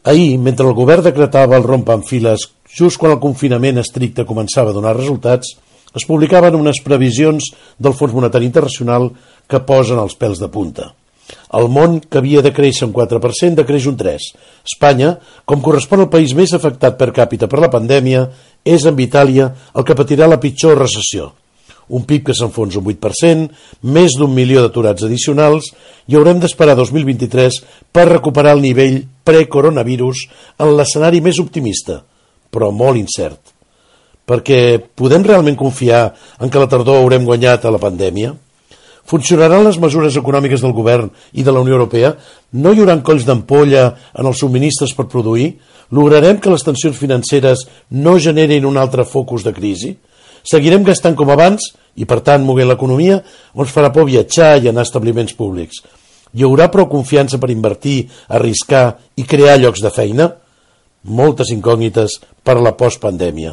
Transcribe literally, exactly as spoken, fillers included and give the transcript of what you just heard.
Ahir, mentre el govern decretava el rompant-files just quan el confinament estricte començava a donar resultats, es publicaven unes previsions del Fons Monetari Internacional que posen els pèls de punta. El món, que havia de créixer un quatre per cent, decreix un tres per cent. Espanya, com correspon al país més afectat per càpita per la pandèmia, és amb Itàlia el que patirà la pitjor recessió. Un P I B que s'enfonsa un vuit per cent, més d'un milió d'aturats addicionals, i haurem d'esperar dos mil vint-i-tres per recuperar el nivell pre-coronavirus en l'escenari més optimista, però molt incert. Perquè podem realment confiar en que a la tardor haurem guanyat a la pandèmia? Funcionaran les mesures econòmiques del govern i de la Unió Europea? No hi haurà colls d'ampolla en els subministres per produir? Lograrem que les tensions financeres no generin un altre focus de crisi? Seguirem gastant com abans i, per tant, moguent l'economia, o ens farà por viatjar i anar a establiments públics? Hi haurà prou confiança per invertir, arriscar i crear llocs de feina? Moltes incògnites per a la postpandèmia.